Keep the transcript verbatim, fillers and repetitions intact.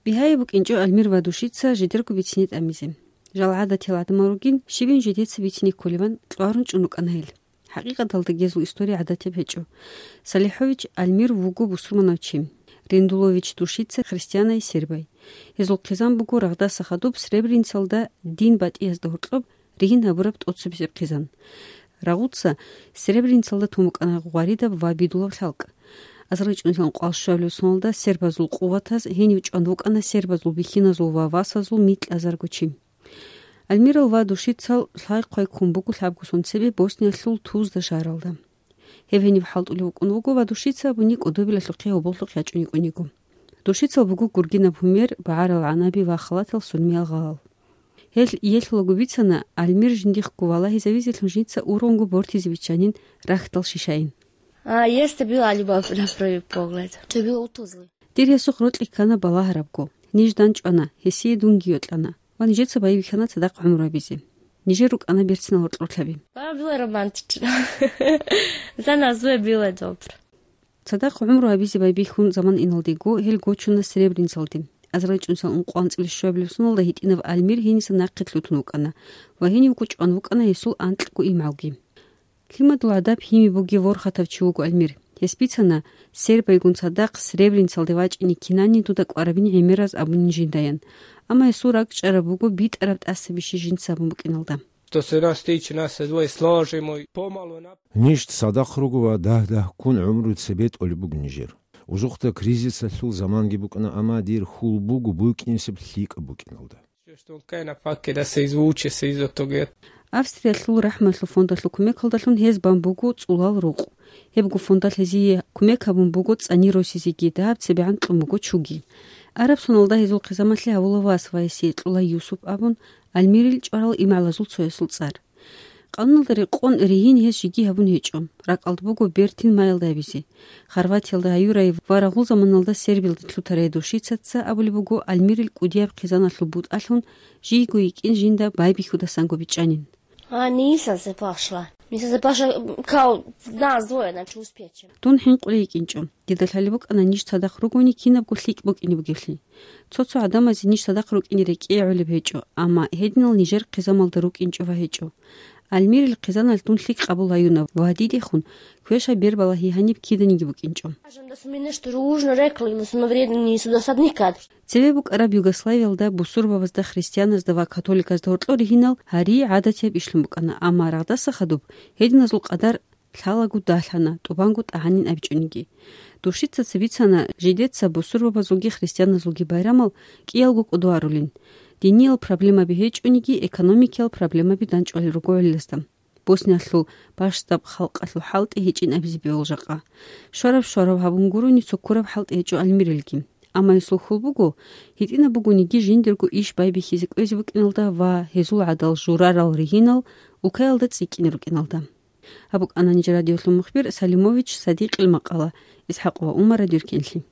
Бигьаяб букӀинчӀо Альмир ва Душица жидерго бицине тӀамизе. Жал гӀадатиял гӀадамал ругин, щибин жидеца бицине кколебан кьварун чӀун рукӀана гьел. ХӀакъикъаталда гьезул история гӀадатияб гьечӀо. Салихович Альмир вуго бусурманав чи. Рендулович Душица христианай сербай. Гьезул хъизан буго рагъдаса хадуб Сребреницалда дин батӀиязда гьоркьоб ригьин гьабураб тӀоцебесеб хъизан. Рагъуца Сребреницалда тун букӀана гъваридаб ва бидулаб лъалкӀ. АзарилчӀунилан кӀвал щуабилеб соналда сербазул къуватаз гьенив чӀван вукӀана сербазул бихьиназул ва васазул микьазарго чи. Альмирал ва Душицал лъай-хъвай ккун буго лъабго сон цебе Босниялъул Тузда шагьаралда. Гьеб гьениб хӀалтӀулев вукӀун вуго ва Душица абуни кӀодобилалъухъе гьоболлъухъ ячӀун йикӀун йиго. Душицал буго гургинаб гьумер, багӀарал гӀанаби ва халатал сунмиял гъалал. Гьел иелъулаго бицана, Альмир жиндихъго валагьизавизелъун жинца ургъунго бортизе биччанин рахьдал шишайин. А, есть была любовь на первый погляд. Тебе утузлы. Дир гьесухъ рокьи ккана балагьарабго. Ниж данчӀвана, гьесие дунги йокьана. Ва нижеца байбихьана цадахъ гӀумру гьабизе. Нижер рукӀана берцинал гьоркьорлъаби. Было романтично. За нас было добро. Цадахъ гӀумру гьабизе байбихьун заман иналдего гьел гочуна Сребреницалде. АзарилчӀунилан ункъоанцӀила щуабилеб соналда гьитӀинав Альмир гьениса нахъе лъутун вукӀана ва гьенивго чӀван вукӀана гьесул анкьго имгӀалги. Лъимадул гӀадаб гьими бугев ворхатав чи вуго Альмир. Гьес бицана, сербайгун цадахъ Сребреницалде вачӀине кинани дуда кӀварабин гӀемераз абунин жиндаян. Амма гьесул ракӀчӀараб буго битӀараб тӀасабищи жинца абун букӀиналда. Что с одной стороны нас двое сложим и помалу нап- Ниж цадахъ руго ва дагь-дагьккун гӀумру цебе тӀолеб буго нижер. Узухъда кризисалъул заманги букӀана, амма дир хьул буго букӀинесеб лъикӀаб букӀиналда. Что он кай на паке да се извуче, се изотоге. Австриялъул рахӀмалъул фондалъул кумекалдалъун гьез бан буго цӀулал рукъ. Гьебго фондалъ гьезие кумек гьабун буго цӀани росизеги, дагьаб цебегӀан кьун буго чуги. Араб соналда гьезул хъизамалъе гьавула вас ва гьесие кьула Юсуп абун, Альмирил чӀварал имгӀалазул цоясул цӀар. Къануналда рекъон ригьин гьес жеги гьабун гьечӀо. РакӀалда буго бертин майялда гьабизе. Хорватиялда гьаюрай ва рагъул заманалда Сербиялда лъутарай Душицаца абулеб буго Альмирил кӀудияб хъизаналъул бутӀалъун жийго йикӀин жинда байбихьудасанго бичӀчӀанин. А, Ниса запашла. Ниса запашла, кау, нас двое, значит, успеть. Дун хӀинкъулей йикӀинчӀо. Дида лъалеб букӀана ниж цадахъ ругони кинабго лъикӀ букӀине бугеблъи. Цо-цо гӀадамазе ниж цадахъ рукӀине рекӀее гӀолеб гьечӀо, амма гьединал нижер хъизамалда рукӀинчӀо ва гьечӀо. Альмирил хъизаналъ дун лъикӀ къабул гьаюна ва дидехун квеша бербала гьигьаниб киданиги букӀинчӀо. Даже если мы нечто дружно рекли, но вредно не сюда садникад. Цеве букӀараб Югославиялда бусурбабазда, христианазда ва католиказда гьоркьор ригьинал гьари гӀадатияб ишлъун букӀана, амма рагъдаса хадуб гьединазул къадар лъалаго далъана, тӀубанго тӀагӀанин абичӀониги. Душицаца бицана, жидеца бусурбабазулги христианазулги байрамал кӀиялго кӀодо арулин. Диниял проблемаби гьечӀониги, экономикиял проблемаби данчӀвалел руго гӀолиласда. Босниялъул бащдаб халкъалъул хӀалтӀи гьечӀин абизе бегьул жакъа. Швараб-швараб гьабун гурони цо ккураб хӀалтӀи гьечӀо Альмирилги. Амма гьесул хьул буго, гьитӀинаб бугониги жиндирго иш байбихьизе кӀвезе букӀиналда ва гьезул гӀадал журарал ригьинал улкаялда цӀикӀкӀине рукӀиналда. Гьаб букӀана нижер радиолъул мухбир Салимович Садикъил макъала, ИсхӀакъ ва Умар радиоркенлъи.